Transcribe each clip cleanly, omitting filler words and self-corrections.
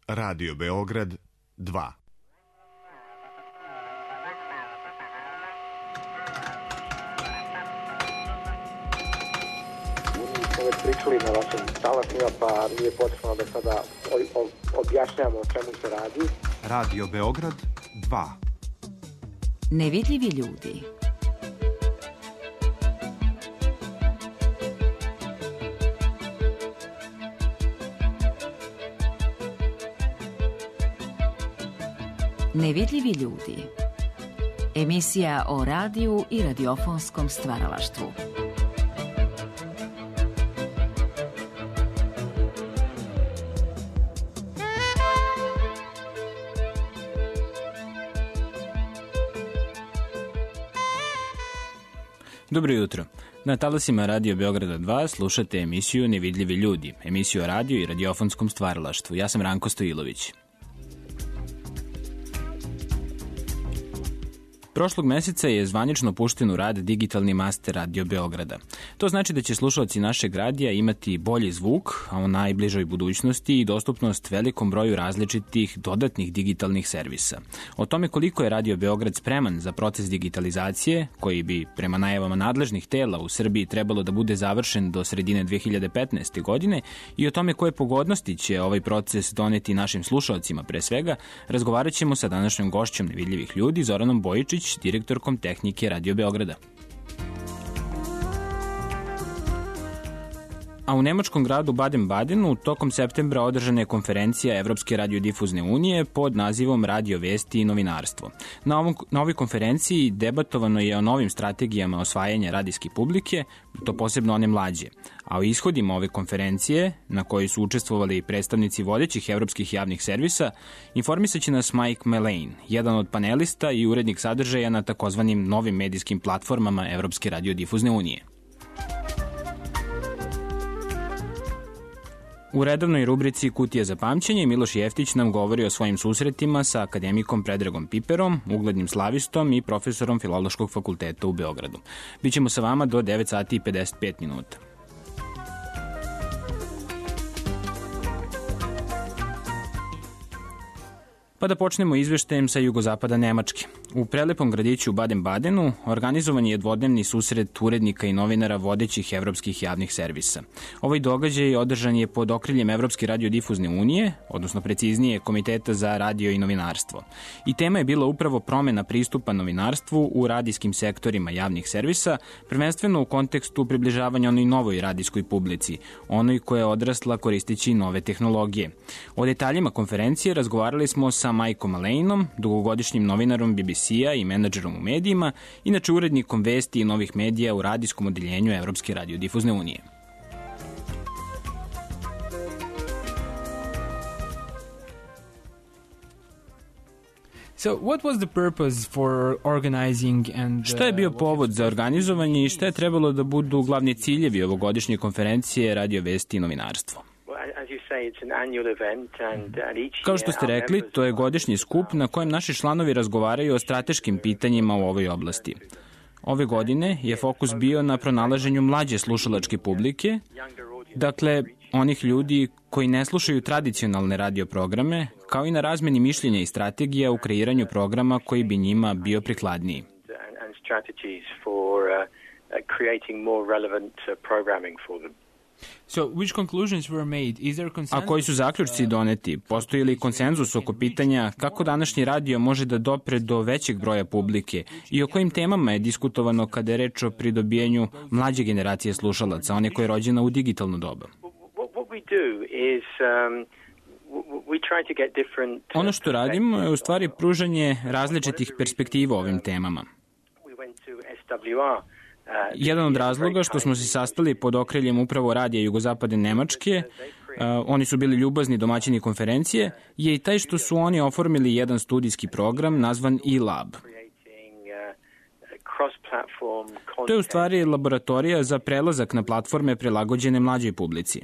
Radio Beograd 2. Već pričali na vašim talasima, pa nije potrebno da sada objašnjamo o čemu se radi. Radio Beograd 2. Nevidljivi ljudi. Nevidljivi ljudi. Emisija o radiju i radiofonskom stvaralaštvu. Dobro jutro. Na talasima Radio Beograda 2 slušate emisiju Nevidljivi ljudi, emisiju o radiju i radiofonskom stvaralaštvu. Ja sam Ranko Stojilović. Prošlog meseca je zvanično pušten u rad digitalni master Radio Beograda. To znači da će slušalci našeg radija imati bolji zvuk, a u najbližoj budućnosti i dostupnost velikom broju različitih dodatnih digitalnih servisa. O tome koliko je Radio Beograd spreman za proces digitalizacije, koji bi prema najavama nadležnih tela u Srbiji trebalo da bude završen do sredine 2015. godine, i o tome koje pogodnosti će ovaj proces doneti našim slušalcima pre svega, razgovarat ćemo sa današnjom gošćom Nevidljivih ljudi, Zoranom Bojičić, direktorkom tehnike Radio Beograda. A u nemačkom gradu Baden-Badenu tokom septembra održana je konferencija Evropske radiodifuzne unije pod nazivom Radio vesti i novinarstvo. Na ovoj konferenciji debatovano je o novim strategijama osvajanja radijske publike, to posebno one mlađe. A o ishodima ove konferencije, na kojoj su učestvovali predstavnici vodećih evropskih javnih servisa, informisaće nas Mike Malane, jedan od panelista i urednik sadržaja na takozvanim novim medijskim platformama Evropske radiodifuzne unije. U redovnoj rubrici Kutija za pamćenje Miloš Jeftić nam govori o svojim susretima sa akademikom Predragom Piperom, uglednim slavistom i profesorom Filološkog fakulteta u Beogradu. Bićemo sa vama do 9 sati i 55 minuta. Pa da počnemo izveštajem sa jugozapada Nemačke. U prelepom gradiću Baden-Badenu organizovan je dvodnevni susret urednika i novinara vodećih evropskih javnih servisa. Ovaj događaj održan je pod okriljem Evropske radiodifuzne unije, odnosno preciznije Komiteta za radio i novinarstvo. I tema je bila upravo promena pristupa novinarstvu u radijskim sektorima javnih servisa, prvenstveno u kontekstu približavanja onoj novoj radijskoj publici, onoj koja je odrasla koristeći nove tehnologije. O detaljima konferencije razgovarali smo sa Mikeom Malaneom, dugogodišnjim novinarom BBC-a i menadžerom u medijima, inače urednikom vesti i novih medija u radijskom odeljenju Evropske radiodifuzne unije. So, what was the purpose for organizing and... Šta je bio povod za organizovanje i šta je trebalo da budu glavni ciljevi ovogodišnje konferencije Radio vesti i novinarstvo? Kao što ste rekli, to je godišnji skup na kojem naši članovi razgovaraju o strateškim pitanjima u ovoj oblasti. Ove godine je fokus bio na pronalaženju mlađe slušalačke publike, dakle onih ljudi koji ne slušaju tradicionalne radio programe, kao i na razmeni mišljenja i strategija u kreiranju programa koji bi njima bio prikladniji. So, which conclusions were made? Is there consensus? A koji su zaključci doneti? Postoji li konsenzus oko pitanja kako današnji radio može da dopre do većeg broja publike i o kojim temama je diskutovano kada je reč o pridobijanju mlađe generacije slušalaca, one koje je rođena u digitalno doba? Ono što radimo je u stvari pružanje različitih perspektiva o ovim temama. Jedan od razloga što smo se sastali pod okriljem upravo radija jugozapadne Nemačke, oni su bili ljubazni domaćini konferencije, je i taj što su oni oformili jedan studijski program nazvan e-lab. To je u stvari laboratorija za prelazak na platforme prilagođene mlađoj publici.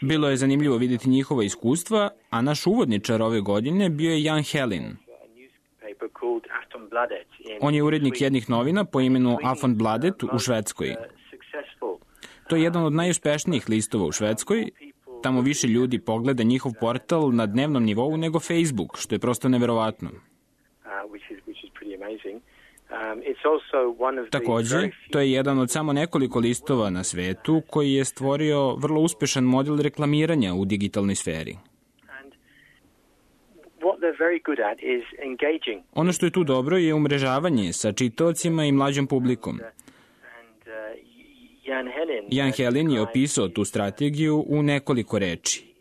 Bilo je zanimljivo vidjeti njihova iskustva, a naš uvodničar ove godine bio je Jan Helin. On je urednik jednih novina po imenu Aftonbladet u Švedskoj. To je jedan od najuspešnijih listova u Švedskoj. Tamo više ljudi pogleda njihov portal na dnevnom nivou nego Facebook, što je prosto neverovatno. Takođe, to je jedan od samo nekoliko listova na svetu koji je stvorio vrlo uspešan model reklamiranja u digitalnoj sferi. Ono što je tu dobro je umrežavanje sa čitaocima i mlađom publikom. Jan Helin je opisao tu strategiju u nekoliko reči.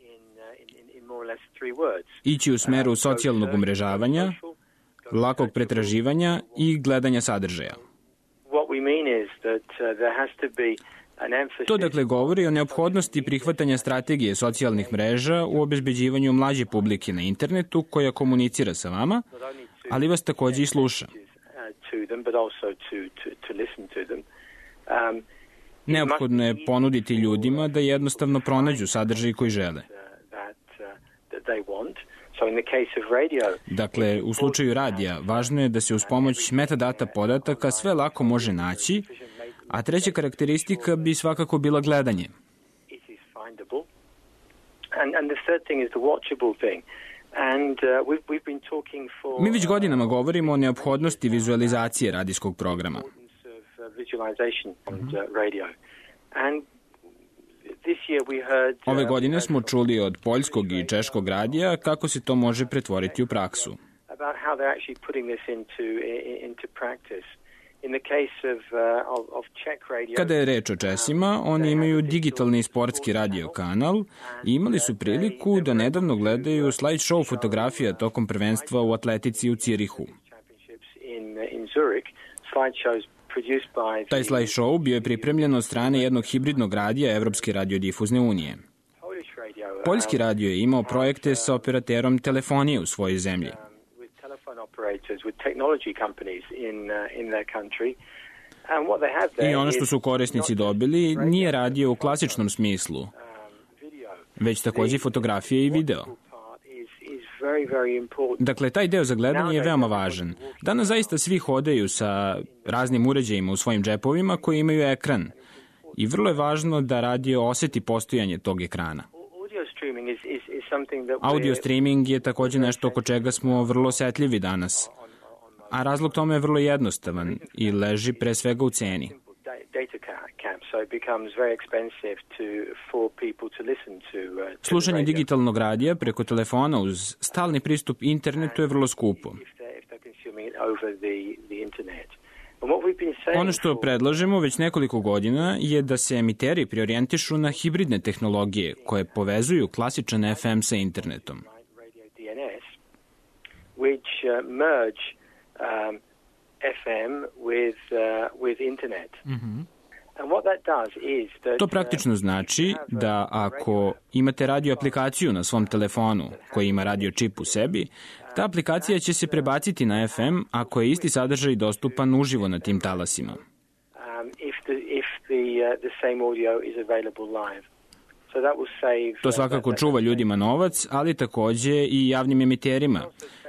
Ići u smeru socijalnog umrežavanja, lakog pretraživanja i gledanja sadržaja. To dakle govori o neophodnosti prihvatanja strategije socijalnih mreža u obezbeđivanju mlađe publike na internetu koja komunicira sa vama, ali vas takođe i sluša. Neophodno je ponuditi ljudima da jednostavno pronađu sadržaj koji žele. Dakle, u slučaju radija, važno je da se uz pomoć metadata podataka sve lako može naći, a treća karakteristika bi svakako bila gledanje. Mi već godinama govorimo o neophodnosti vizualizacije radijskog programa. Ove godine smo čuli od poljskog i češkog radija kako se to može pretvoriti u praksu. Kada je reč o Česima, oni imaju digitalni sportski radio kanal i imali su priliku da nedavno gledaju slideshow fotografija tokom prvenstva u atletici u Cirihu. Taj slideshow bio je pripremljen od strane jednog hibridnog radija Evropske radiodifuzne unije. Poljski radio je imao projekte sa operaterom telefonije u svojoj zemlji. I ono što su korisnici dobili nije radio u klasičnom smislu, već takođe fotografije i video. Dakle, taj deo za gledanje je veoma važan. Danas zaista svi hodaju sa raznim uređajima u svojim džepovima koji imaju ekran. I vrlo je važno da radio oseti postojanje tog ekrana. Audio streaming je takođe nešto oko čega smo vrlo osetljivi danas. A razlog tome je vrlo jednostavan i leži pre svega u ceni. Slušanje digitalnog radija preko telefona uz stalni pristup internetu je vrlo skupo. Ono što predlažemo već nekoliko godina je da se emiteri preorijentišu na hibridne tehnologije koje povezuju klasičan FM sa internetom. To praktično znači da ako imate radio aplikaciju na svom telefonu koji ima radio čip u sebi, ta aplikacija će se prebaciti na FM ako je isti sadržaj dostupan uživo na tim talasima. To svakako čuva ljudima novac, ali takođe i javnim emiterima,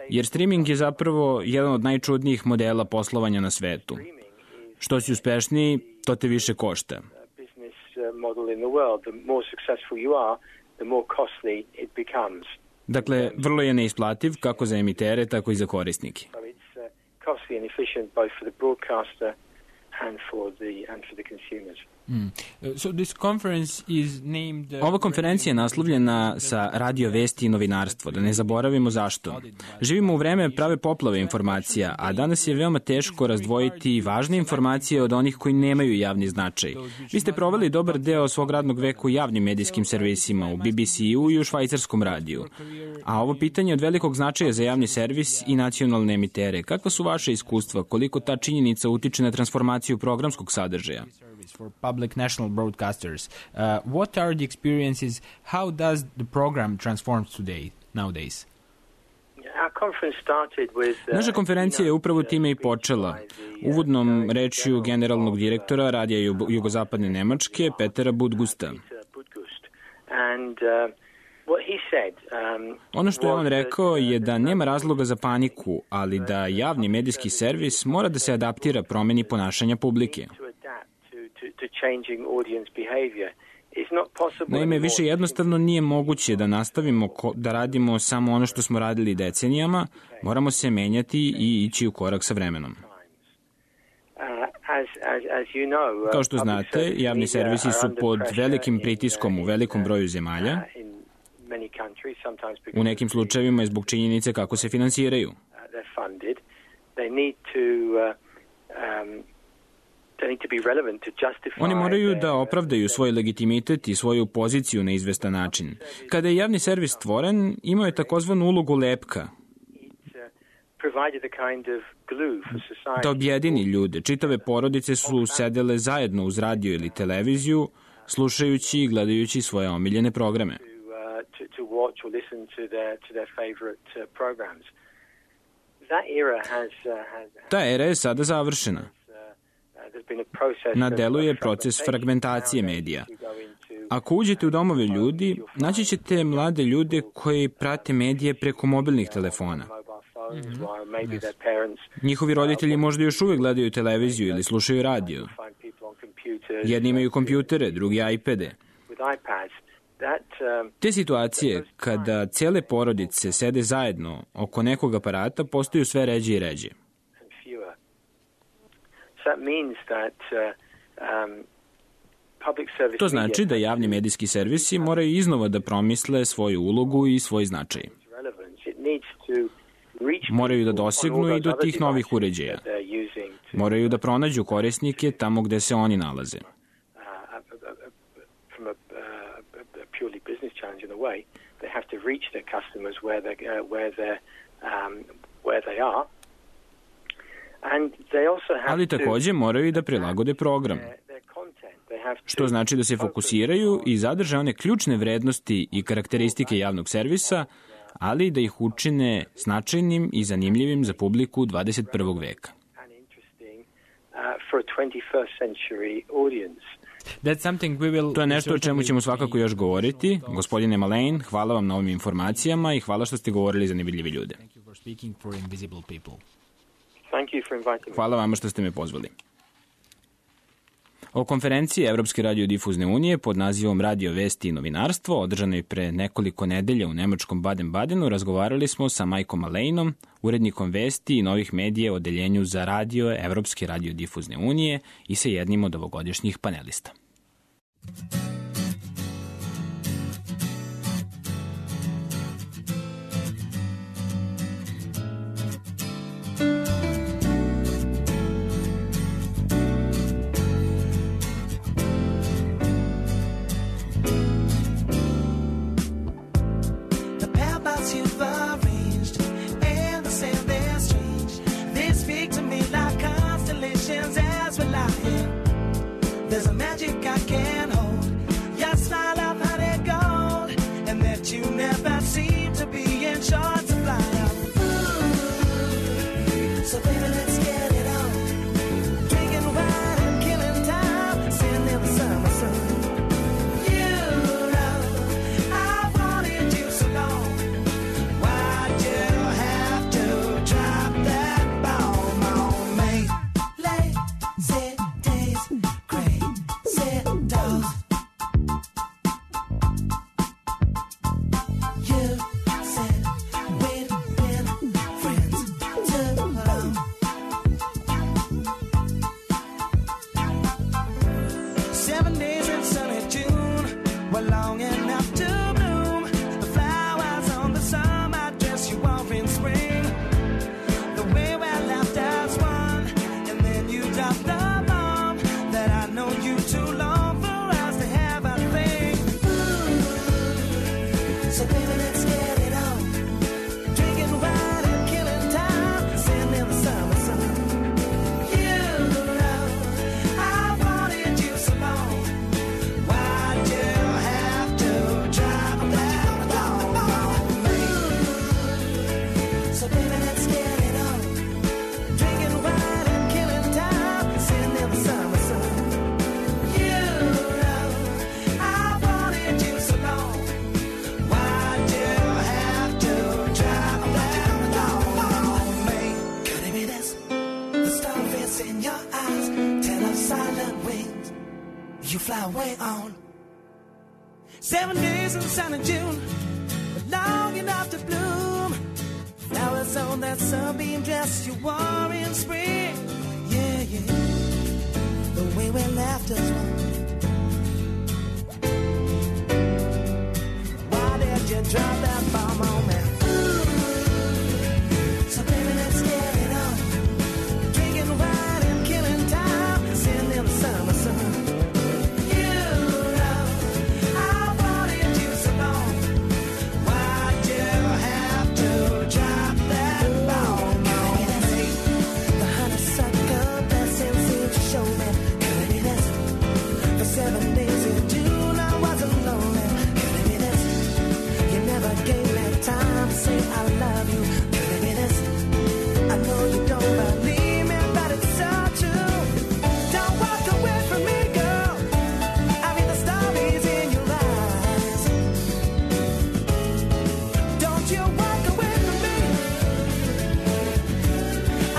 jer streaming je zapravo jedan od najčudnijih modela poslovanja na svetu. Što si uspešniji, to te više košta. Dakle, vrlo je neisplativ kako za emitere, tako i za korisnike. Ova konferencija je naslovljena sa radio vesti i novinarstvo, da ne zaboravimo zašto. Živimo u vreme prave poplave informacija, a danas je veoma teško razdvojiti važne informacije od onih koji nemaju javni značaj. Vi ste proveli dobar deo svog radnog veka u javnim medijskim servisima, u BBC-u i u švajcarskom radiju. A ovo pitanje je od velikog značaja za javni servis i nacionalne emitere. Kakva su vaše iskustva? Koliko ta činjenica utiče na transformaciju programskog sadržaja? For public national broadcasters. What are the experiences? How does the program transform nowadays? Naša konferencija je upravo time i počela. Uvodnom rečju generalnog direktora Radija Jugozapadne Nemačke, Petera Budgusta. Ono što je on rekao je da nema razloga za paniku, ali da javni medijski servis mora da se adaptira promeni ponašanja publike. to changing audience behavior. It's not possible. Naime, više jednostavno nije moguće da nastavimo da radimo samo ono što smo radili decenijama, moramo se menjati i ići u korak sa vremenom. Kao što znate, javni servisi su pod velikim pritiskom u velikom broju zemalja, u nekim slučajevima je zbog činjenice kako se finansiraju. Oni moraju da opravdaju svoj legitimitet i svoju poziciju na izvestan način. Kada je javni servis stvoren, imao je takozvanu ulogu lepka, da objedini ljude. Čitave porodice su sedele zajedno uz radio ili televiziju, slušajući i gledajući svoje omiljene programe. Ta era je sada završena. Na delu je proces fragmentacije medija. Ako uđete u domove ljudi, naći ćete mlade ljude koji prate medije preko mobilnih telefona. Njihovi roditelji možda još uvek gledaju televiziju ili slušaju radio. Jedni imaju kompjutere, drugi iPade. Te situacije, kada cijele porodice sede zajedno oko nekog aparata, postaju sve ređe i ređe. To znači da javni medijski servisi moraju iznova da promisle svoju ulogu i svoj značaj. Moraju da dosegnu i do tih novih uređaja. Moraju da pronađu korisnike tamo gde se oni nalaze. Ali takođe moraju i da prilagode program, što znači da se fokusiraju i zadrže one ključne vrednosti i karakteristike javnog servisa, ali da ih učine značajnim i zanimljivim za publiku 21. veka. To je nešto o čemu ćemo svakako još govoriti. Gospodine Mullane, hvala vam na ovim informacijama i hvala što ste govorili za nevidljive ljude. Hvala vama što ste me pozvali. O konferenciji Evropske radiodifuzne unije pod nazivom Radio vesti i novinarstvo, održanoj pre nekoliko nedelja u nemačkom Baden-Badenu, razgovarali smo sa Mikeom Mullaneom, urednikom vesti i novih medija u odeljenju za radio Evropske radiodifuzne unije i sa jednim od ovogodišnjih panelista. There's a magic I can't hold. my way on. 7 days in sunny June, but long enough to bloom. Flowers on that sunbeam dress you wore in spring. Yeah, yeah. The way we left us one. Why did you drop that bomb on me? So baby, let's get it on. Drinking wine and killing time, sitting in the summer sun. You know I wanted you so long. Why'd you have to drop that bomb on me? The honeysuckle blessing seemed to show me. Could it be this? For 7 days in June I wasn't lonely. Could it be this? You never gave me time to say I love you. Could it be this? I know you don't believe me, but it's so true. Don't walk away from me, girl. I read the stories in your eyes. Don't you walk away from me.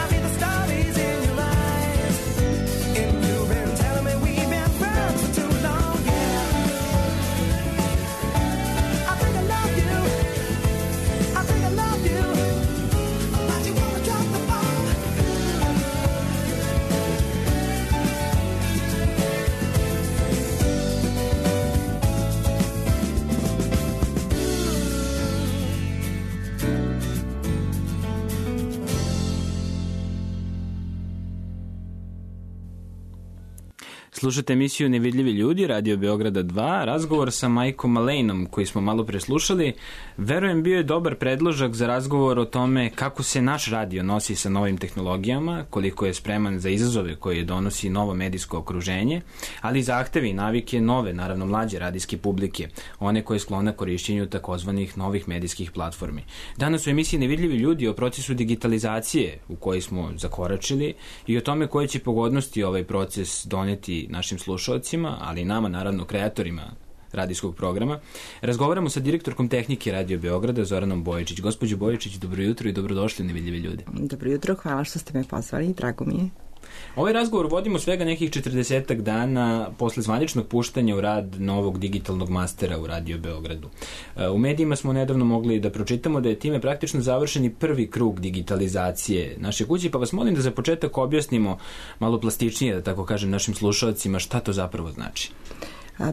I read the stories in your eyes. And you've been telling me we've been friends for too long, yeah. I think I love you. I think I love you. Why'd you wanna drop the bomb? Slušate emisiju Nevidljivi ljudi, Radio Beograda 2, razgovor sa Majkom Malejnom koji smo malo preslušali. Verujem, bio je dobar predložak za razgovor o tome kako se naš radio nosi sa novim tehnologijama, koliko je spreman za izazove koje donosi novo medijsko okruženje, ali i zahtevi i navike nove, naravno mlađe radijske publike, one koje sklona korišćenju takozvanih novih medijskih platformi. Danas u emisiji Nevidljivi ljudi o procesu digitalizacije u kojoj smo zakoračili i o tome koje će pogodnosti ovaj proces doneti našim slušalcima, ali i nama, naravno, kreatorima radijskog programa. Razgovaramo sa direktorkom tehnike Radio Beograda, Zoranom Bojičić. Gospođo Bojičić, dobro jutro i dobrodošli u Nevidljivi ljudi. Dobro jutro, hvala što ste me pozvali, drago mi je. Ovaj razgovor vodimo svega nekih 40 dana posle zvaničnog puštanja u rad novog digitalnog mastera u Radio Beogradu. U medijima smo nedavno mogli da pročitamo da je time praktično završeni prvi krug digitalizacije naše kuće, pa vas molim da za početak objasnimo malo plastičnije, da tako kažem, našim slušalcima šta to zapravo znači.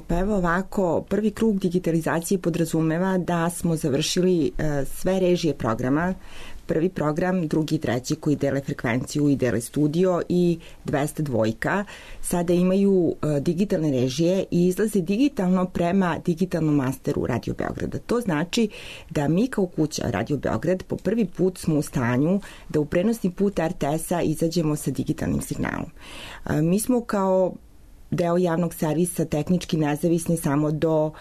Pa evo ovako, prvi krug digitalizacije podrazumeva da smo završili sve režije programa, prvi program, drugi i treći koji dele frekvenciju i dele studio i 202 sada imaju digitalne režije i izlaze digitalno prema digitalnom masteru Radio Beograda. To znači da mi kao kuća Radio Beograd po prvi put smo u stanju da u prenosni put RTS-a izađemo sa digitalnim signalom. Mi smo kao deo javnog servisa tehnički nezavisni samo do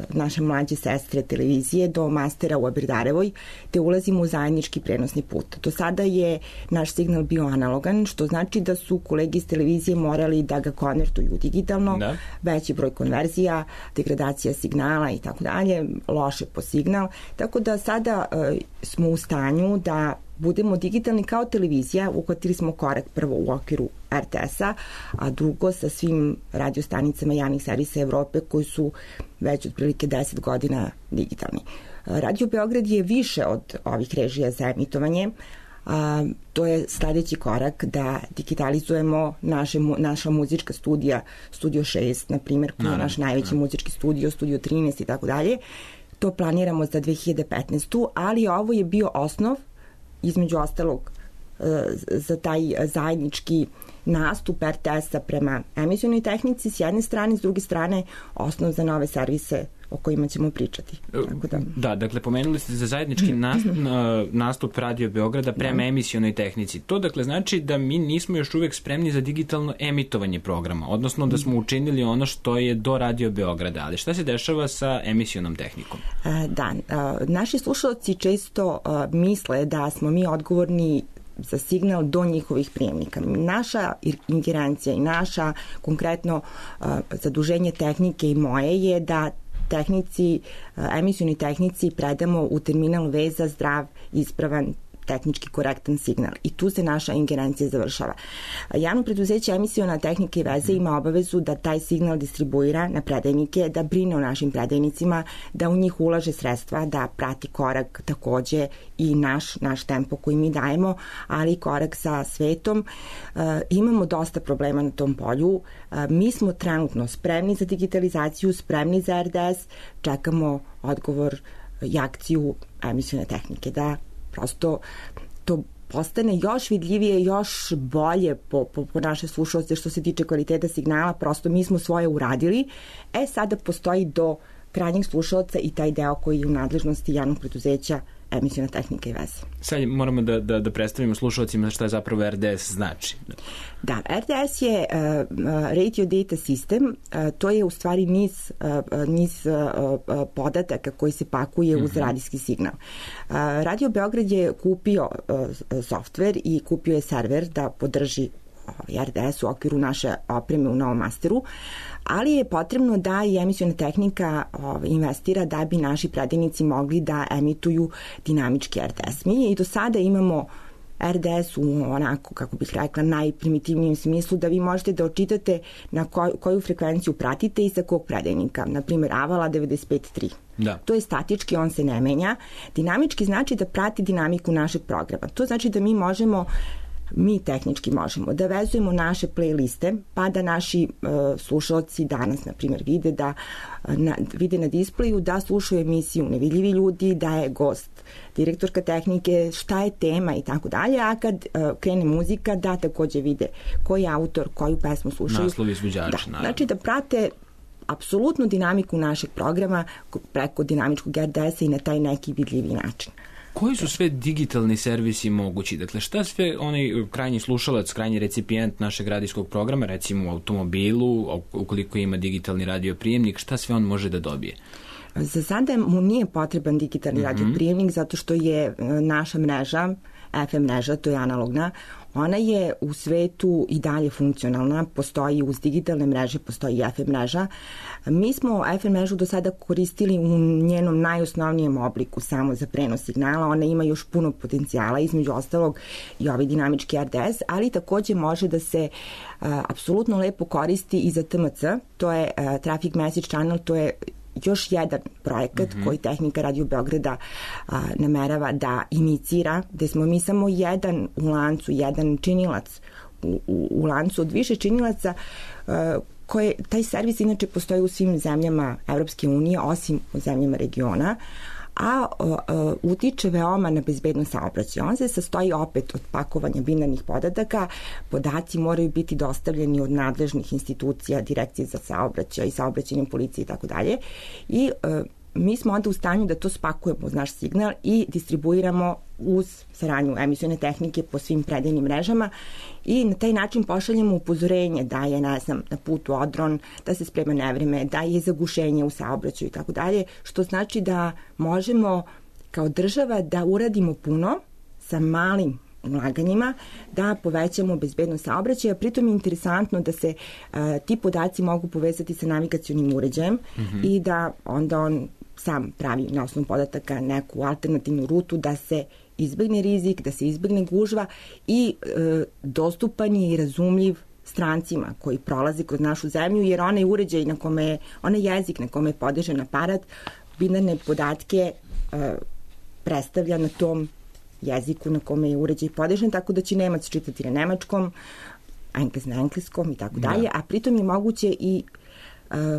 naše mlađe sestre televizije, do mastera u Aberdarevoj, te ulazimo u zajednički prenosni put. Do sada je naš signal bio analogan, što znači da su kolegi iz televizije morali da ga konvertuju digitalno, veći broj konverzija, degradacija signala i tako dalje, loše po signal, tako da sada smo u stanju da budemo digitalni kao televizija, uhvatili smo korak prvo u okviru RTS-a, a drugo sa svim radiostanicama javnih servisa Evrope koji su već otprilike 10 godina digitalni. Radio Beograd je više od ovih režija za emitovanje. To je sledeći korak da digitalizujemo naša muzička studija, Studio 6, na primjer, koji je naš najveći muzički studio, Studio 13 i tako dalje. To planiramo za 2015. Ali ovo je bio osnov, između ostalog, za taj zajednički nastup RTS-a prema emisionoj tehnici s jedne strane, s druge strane osnov za nove servise o kojima ćemo pričati. Da, dakle, pomenuli ste za zajednički nastup Radio Beograda prema emisionoj tehnici. To, dakle, znači da mi nismo još uvek spremni za digitalno emitovanje programa, odnosno da smo učinili ono što je do Radio Beograda. Ali šta se dešava sa emisionom tehnikom? Da, naši slušalci često misle da smo mi odgovorni za signal do njihovih prijemnika. Naša ingerencija i naša konkretno zaduženje tehnike i moje je da emisioni tehnici predamo u terminal veza zdrav, ispravan tehnički korektan signal i tu se naša ingerencija završava. Javno preduzeće Emisiona tehnika i veze ima obavezu da taj signal distribuira na predajnike, da brine o našim predajnicima, da u njih ulaže sredstva, da prati korak takođe i naš tempo koji mi dajemo, ali i korak sa svetom. Imamo dosta problema na tom polju. Mi smo trenutno spremni za digitalizaciju, spremni za RDS, čekamo odgovor i akciju Emisione tehnike, da prosto to postane još vidljivije, još bolje po naše slušalce što se tiče kvaliteta signala, prosto mi smo svoje uradili. Sada postoji do krajnjeg slušalca i taj deo koji je u nadležnosti javnog preduzeća Emisiona tehnika i veze. Sad moramo da predstavimo slušalcima šta je zapravo RDS znači. Da, RDS je Radio Data System, to je u stvari niz podataka koji se pakuje uz radijski signal. Radio Beograd je kupio softver i kupio je server da podrži RDS u okviru naše opreme u Novom Masteru, ali je potrebno da i Emisiona tehnika investira da bi naši predajnici mogli da emituju dinamički RDS. Mi i do sada imamo RDS u onako, kako bih rekla, najprimitivnijem smislu da vi možete da očitate na koju frekvenciju pratite i sa kog predajnika. Naprimer, Avala 95.3. Da. To je statički, on se ne menja. Dinamički znači da prati dinamiku našeg programa. To znači da mi tehnički možemo da vezujemo naše playliste, pa da naši slušalci danas, na primjer, vide na displeju da slušaju emisiju Nevidljivi ljudi, da je gost direktorka tehnike, šta je tema i tako dalje, a kad krene muzika da takođe vide koji je autor, koju pesmu slušaju. Naslov izvođača, naravno. Znači da prate apsolutnu dinamiku našeg programa preko dinamičkog RDS-a i na taj neki vidljivi način. Koji su sve digitalni servisi mogući? Dakle, šta sve onaj krajnji slušalac, krajnji recipijent našeg radijskog programa, recimo u automobilu, ukoliko ima digitalni radioprijemnik, šta sve on može da dobije? Za sada mu nije potreban digitalni radioprijemnik zato što je naša mreža, FM mreža, to je analogna, ona je u svetu i dalje funkcionalna, postoji uz digitalne mreže, postoji i FM mreža. Mi smo FM mrežu do sada koristili u njenom najosnovnijem obliku samo za prenos signala, ona ima još puno potencijala, između ostalog i ovaj dinamički RDS, ali takođe može da se apsolutno lepo koristi i za TMC, to je Traffic Message Channel, to je još jedan projekat koji tehnika Radio Beograda namerava da inicira, gde smo mi samo jedan u lancu, jedan činilac u lancu od više činilaca taj servis inače postoji u svim zemljama Evropske unije, osim u zemljama regiona, a utiče veoma na bezbednost saobraćaja. On se sastoji opet od pakovanja binarnih podataka, podaci moraju biti dostavljeni od nadležnih institucija, direkcije za saobraćaj, saobraćajne policije i tako dalje. I mi smo onda u stanju da to spakujemo uz naš signal i distribuiramo uz saradnju Emisione tehnike po svim predajnim mrežama i na taj način pošaljemo upozorenje da je, na putu odron, da se sprema nevreme, da je zagušenje u saobraćaju i tako dalje, što znači da možemo kao država da uradimo puno sa malim ulaganjima, da povećamo bezbednost saobraćaja. Pritom je interesantno da se ti podaci mogu povezati sa navigacionim uređajem i da onda on sam pravi na osnovu podataka neku alternativnu rutu da se izbegne rizik, da se izbegne gužva i dostupan je i razumljiv strancima koji prolaze kroz našu zemlju, jer onaj uređaj na kome, onaj jezik na kome je podešen aparat, binarne podatke predstavlja na tom jeziku na kome je uređaj podešen, tako da će Nemac čitati na nemačkom, Englez na engleskom i tako dalje, a pritom je moguće i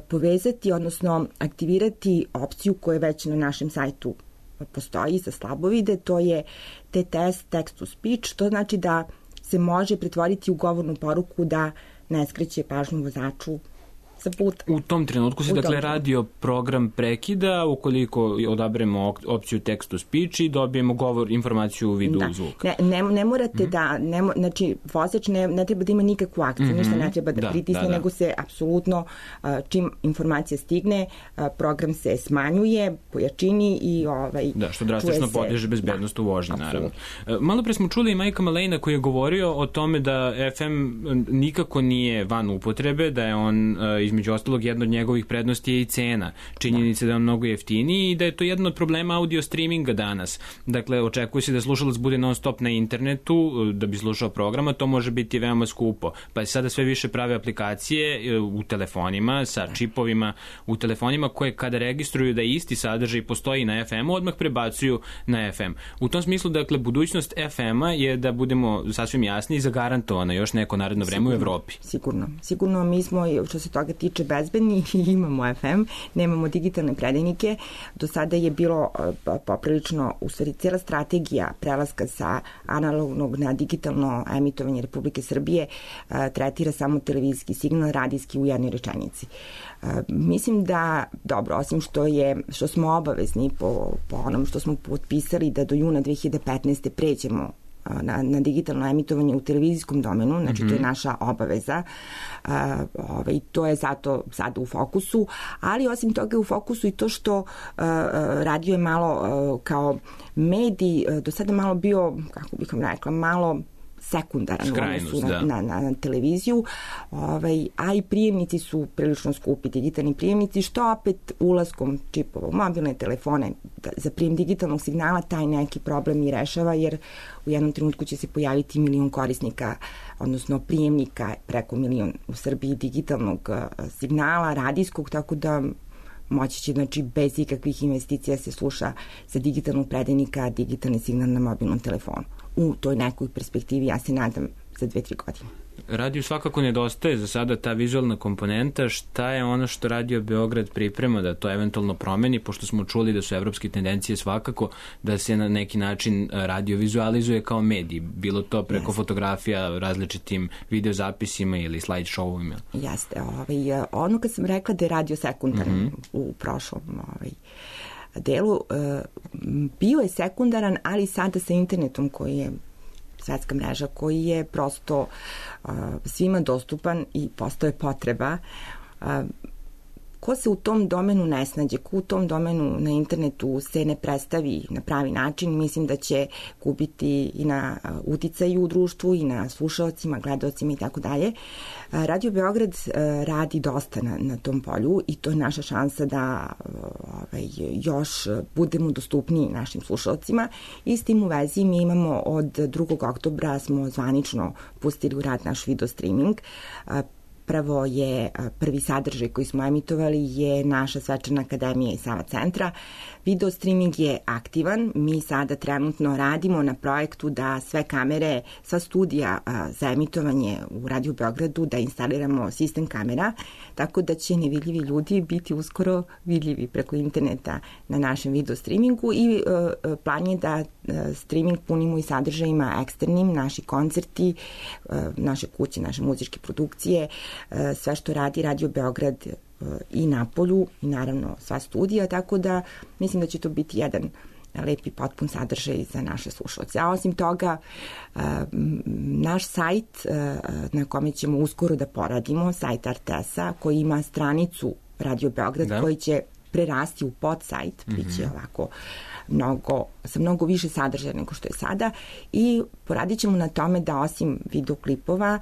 povezati, odnosno aktivirati opciju koja već na našem sajtu postoji za slabovide, to je TTS, text to speech, to znači da se može pretvoriti u govornu poruku da ne skreće pažnju vozaču sa puta. U tom trenutku se, dakle, radio program prekida ukoliko odaberemo opciju text to speech i dobijemo govor, informaciju u vidu zvuka. Ne morate da, znači, vozač ne treba da ima nikakvu akciju, ništa ne treba da pritisne, nego se apsolutno, čim informacija stigne, program se smanjuje po jačini i što drastično podiže bezbednost u vožnji, naravno. Malo pre smo čuli i Majka Malejna koji je govorio o tome da FM nikako nije van upotrebe, da je on između ostalog jedna od njegovih prednosti je i cena. Činjenica da je on mnogo jeftiniji i da je to jedan od problema audio streaminga danas. Dakle, očekuje se da slušalac bude non stop na internetu da bi slušao programa, to može biti veoma skupo. Pa je sada sve više prave aplikacije u telefonima sa čipovima u telefonima koje kada registruju da isti sadržaj postoji na FM-u, odmah prebacuju na FM. U tom smislu, dakle, budućnost FM-a je, da budemo sasvim jasni, zagarantovana još neko naredno vreme u Evropi. Sigurno mi smo, što se toga tiče, bezbedni i imamo FM, nemamo digitalne predajnike. Do sada je bilo poprilično, u stvari, cijela strategija prelaska sa analognog na digitalno emitovanje Republike Srbije tretira samo televizijski signal, radijski u jednoj rečenici. Mislim da, dobro, osim što smo obavezni po onom što smo potpisali da do juna 2015. pređemo na digitalno emitovanje u televizijskom domenu, znači to je naša obaveza, to je zato sada u fokusu, ali osim toga je u fokusu i to što radio je malo kao medij, do sada malo bio, kako bih vam rekla, malo sekundaran u odnosu na televiziju, a i prijemnici su prilično skupi, digitalni prijemnici, što opet ulaskom čipova u mobilne telefone za prijem digitalnog signala taj neki problem i rešava, jer u jednom trenutku će se pojaviti 1 milion korisnika, odnosno prijemnika, preko 1 milion u Srbiji digitalnog signala, radijskog, tako da moći će, znači, bez ikakvih investicija se sluša sa digitalnog predajnika digitalni signal na mobilnom telefonu. U toj nekoj perspektivi, ja se nadam, za 2-3 godine. Radiju svakako nedostaje za sada ta vizualna komponenta. Šta je ono što Radio Beograd priprema da to eventualno promeni, pošto smo čuli da su evropske tendencije svakako da se na neki način radio vizualizuje kao medij, bilo to preko fotografija, različitim videozapisima ili slide showovima? Jeste. Ono kad sam rekla da je radio sekundaran u prošlom delu, bio je sekundaran, ali sada sa internetom koji je svetska mreža, koji je prosto svima dostupan i postoje potreba. Ko se u tom domenu ne snađe, ko u tom domenu na internetu se ne predstavi na pravi način, mislim da će gubiti i na uticaju u društvu i na slušalcima, gledalcima i tako dalje. Radio Beograd radi dosta na tom polju i to je naša šansa da još budemo dostupniji našim slušalcima. I s tim u vezi mi imamo od 2. oktobra smo zvanično pustili u rad naš video streaming. Prvo je prvi sadržaj koji smo emitovali je naša svečana akademija iz Sava centra. Video streaming je aktivan. Mi sada trenutno radimo na projektu da sve kamere, sva studija za emitovanje u Radio Beogradu da instaliramo sistem kamera, tako da će nevidljivi ljudi biti uskoro vidljivi preko interneta na našem video streamingu i plan je da streaming punimo i sadržajima eksternim, naši koncerti, naše kuće, naše muzičke produkcije, sve što radi Radio Beograd i napolju i naravno sva studija, tako da mislim da će to biti jedan lepi potpun sadržaj za naše slušalce. A osim toga, naš sajt na kome ćemo uskoro da poradimo, sajt RTS-a, koji ima stranicu Radio Beograd, koji će prerasti u podsajt, bit će ovako sa mnogo više sadržaja nego što je sada i poradit ćemo na tome da osim videoklipova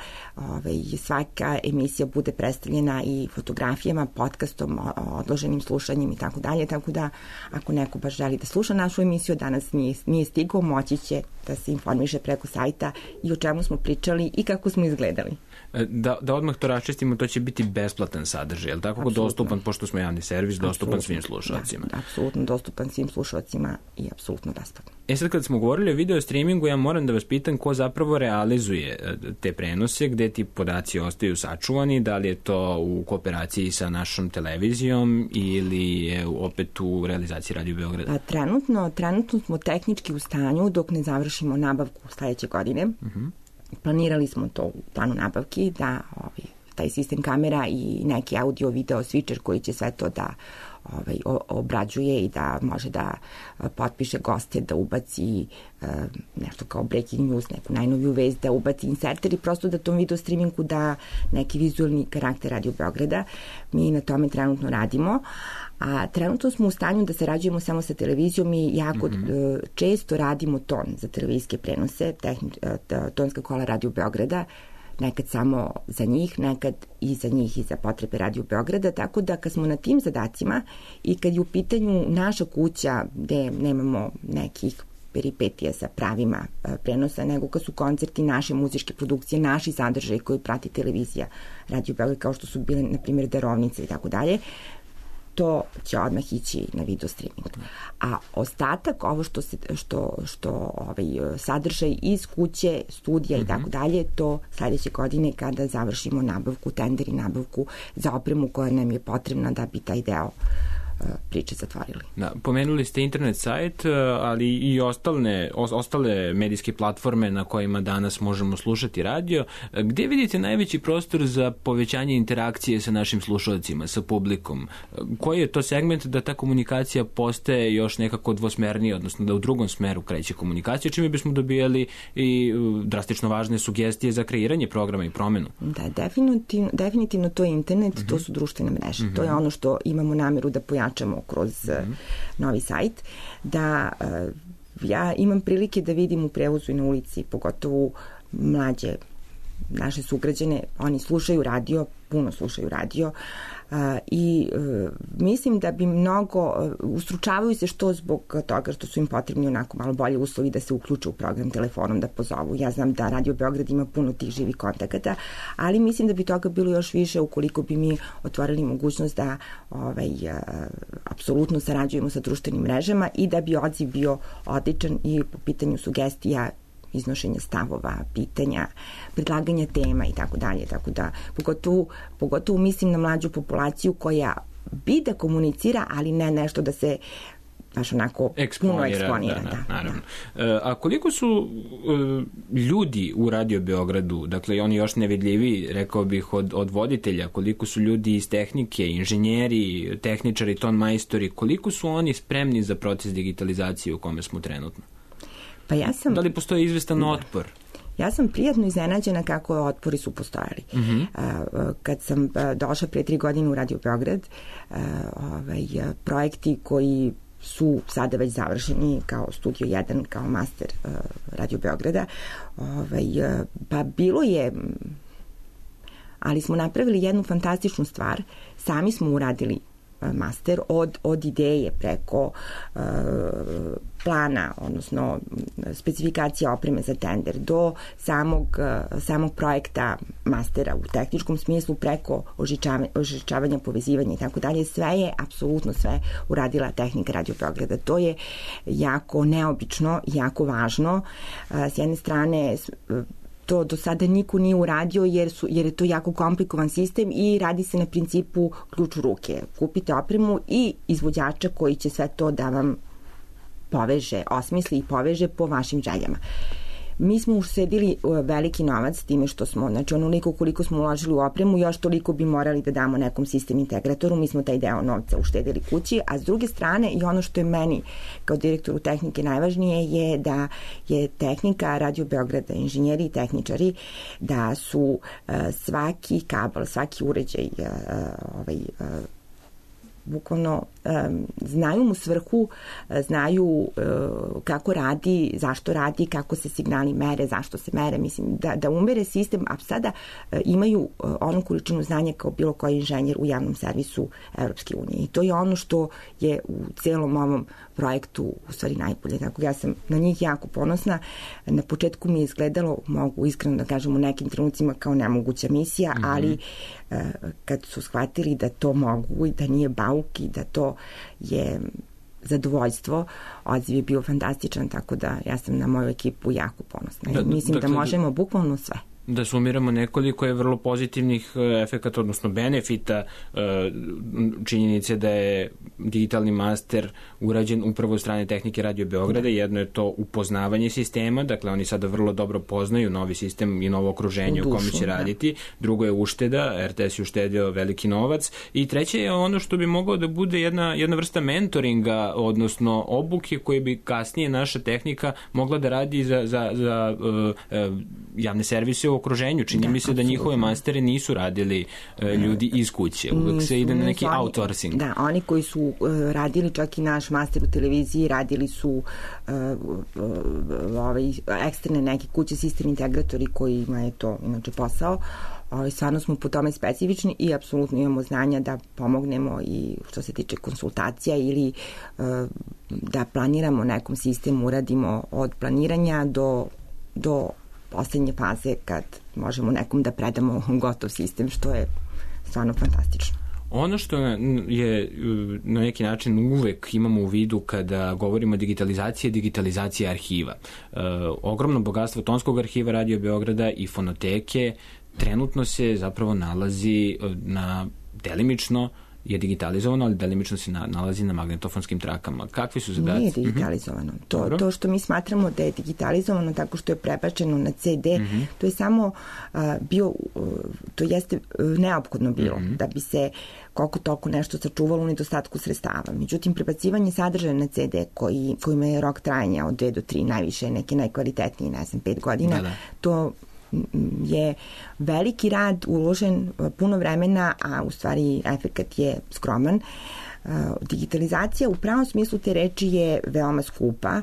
svaka emisija bude predstavljena i fotografijama, podcastom, odloženim slušanjem i tako dalje, tako da ako neko baš želi da sluša našu emisiju, danas nije stigao, moći će da se informiše preko sajta i o čemu smo pričali i kako smo izgledali. Da odmah to raščistimo, to će biti besplatan sadržaj, je li tako? Dostupan, pošto smo javni servis, dostupan svim slušalcima. Da, apsolutno dostupan svim slušalcima i apsolutno besplatan. Sad kad smo govorili o video streamingu, ja moram da vas pitam ko zapravo realizuje te prenose, gde ti podaci ostaju sačuvani, da li je to u kooperaciji sa našom televizijom ili je opet u realizaciji Radio Beograda? Trenutno smo tehnički u stanju dok ne završimo nabavku sledeće godine. Planirali smo to u planu nabavki da taj sistem kamera i neki audio video switcher koji će sve to da obrađuje i da može da potpiše goste, da ubaci nešto kao breaking news, neku najnoviju vest, da ubaci inserter i prosto da tom video streamingu da neki vizualni karakter Radio Beograda. Mi na tome trenutno radimo, a trenutno smo u stanju da sarađujemo samo sa televizijom i jako često radimo ton za televizijske prenose, tonska kola Radio Beograda, nekad samo za njih, nekad i za njih i za potrebe Radio Beograda, tako da kad smo na tim zadacima i kad je u pitanju naša kuća gde nemamo nekih peripetija sa pravima prenosa, nego kad su koncerti, naše muzičke produkcije, naši sadržaji koji prati televizija Radio Beograd, kao što su bile, na primjer, darovnice i tako dalje, to će odmah ići na video streaming. A ostatak, ovo sadržaj iz kuće, studija i tako dalje, to sledeće godine kada završimo nabavku, tender i nabavku za opremu koja nam je potrebna da bi taj deo priče zatvorili. Da, pomenuli ste internet sajt, ali i ostale medijske platforme na kojima danas možemo slušati radio. Gde vidite najveći prostor za povećanje interakcije sa našim slušalcima, sa publikom? Koji je to segment da ta komunikacija postaje još nekako dvosmernija, odnosno da u drugom smeru kreće komunikacija, čime bismo dobijali i drastično važne sugestije za kreiranje programa i promenu? Da, definitivno to je internet, to su društvene mreže. To je ono što imamo nameru da pojačamo kroz novi sajt, da ja imam prilike da vidim u prevozu i na ulici, pogotovo mlađe naše sugrađane, oni slušaju radio, puno slušaju radio i mislim da bi mnogo, ustručavaju se što zbog toga što su im potrebni onako malo bolje uslovi da se uključe u program telefonom, da pozovu. Ja znam da Radio Beograd ima puno tih živih kontakata, ali mislim da bi toga bilo još više ukoliko bi mi otvorili mogućnost da apsolutno sarađujemo sa društvenim mrežama i da bi odziv bio odličan i po pitanju sugestija, iznošenja stavova, pitanja, predlaganja tema i tako dalje. Tako da, pogotovo mislim na mlađu populaciju koja bi da komunicira, ali ne nešto da se baš onako puno eksponira. Naravno. A koliko su ljudi u Radio Beogradu, dakle oni još nevidljivi, rekao bih, od voditelja, koliko su ljudi iz tehnike, inženjeri, tehničari, ton majstori, koliko su oni spremni za proces digitalizacije u kome smo trenutno? Pa da li postoji izvestan otpor? Ja sam prijatno iznenađena kako otpori su postojali. Kad sam došla pre 3 godine u Radio Beograd, projekti koji su sada već završeni kao Studio 1, kao master Radio Beograda, pa bilo je, ali smo napravili jednu fantastičnu stvar, sami smo uradili master od ideje preko plana, odnosno specifikacija opreme za tender, do samog projekta mastera u tehničkom smislu, preko ožičavanja, povezivanja i tako dalje. Sve je, apsolutno sve uradila tehnika Radio Beograda. To je jako neobično, jako važno. S jedne strane, to do sada niko nije uradio jer je to jako komplikovan sistem i radi se na principu ključ u ruke. Kupite opremu i izvođača koji će sve to da vam poveže, osmisli i poveže po vašim željama. Mi smo uštedili veliki novac time što smo, znači onoliko koliko smo uložili u opremu, još toliko bi morali da damo nekom sistem integratoru, mi smo taj deo novca uštedili kući, a s druge strane i ono što je meni kao direktoru tehnike najvažnije je da je tehnika Radio Beograda, inženjeri i tehničari, da su svaki kabel, svaki uređaj bukvalno znaju mu svrhu, znaju kako radi, zašto radi, kako se signali mere, zašto se mere, mislim da umere sistem, a sada imaju onu količinu znanja kao bilo koji inženjer u javnom servisu Evropske unije. I to je ono što je u celom ovom projektu u stvari najbolje. Tako ja sam na njih jako ponosna. Na početku mi je izgledalo, mogu iskreno da kažem, u nekim trenucima kao nemoguća misija, ali kad su shvatili da to mogu i da nije bauk i da to je zadovoljstvo, odziv je bio fantastičan, tako da ja sam na moju ekipu jako ponosna. Mislim da možemo bukvalno sve. Da sumiramo, nekoliko je vrlo pozitivnih efekata, odnosno benefita činjenice da je digitalni master urađen upravo od strane tehnike Radio Beograda. Jedno je to upoznavanje sistema, dakle oni sada vrlo dobro poznaju novi sistem i novo okruženje u kome će raditi. Drugo je ušteda, RTS je uštedio veliki novac. I treće je ono što bi moglo da bude jedna vrsta mentoringa, odnosno obuke koje bi kasnije naša tehnika mogla da radi za javne servise u okruženju. Čini mi se da njihove mastere nisu radili ljudi iz kuće. Uvek se ide na neki outsourcing. Da, oni koji su radili čak i naš master u televiziji, radili su eksterne neke kuće, sistem integratori kojima je to inače posao. Stvarno smo po tome specifični i apsolutno imamo znanja da pomognemo i što se tiče konsultacija ili da planiramo nekom sistemu, uradimo od planiranja do poslednje faze kad možemo nekom da predamo gotov sistem, što je stvarno fantastično. Ono što je na neki način uvek imamo u vidu kada govorimo o digitalizaciji je digitalizacija arhiva. Ogromno bogatstvo tonskog arhiva Radio Beograda i fonoteke trenutno se zapravo nalazi delimično je digitalizovano, ali delimično se nalazi na magnetofonskim trakama. Kakvi su zadaci? Nije digitalizovano. To što mi smatramo da je digitalizovano tako što je prebačeno na CD, to je samo to jeste neophodno bilo da bi se koliko toliko nešto sačuvalo u nedostatku sredstava. Međutim, prebacivanje sadržaja na CD kojima je rok trajanja od 2 do 3, najviše neki najkvalitetniji, 5 godina, to je veliki rad uložen, puno vremena, a u stvari efekat je skroman. Digitalizacija u pravom smislu te reči je veoma skupa.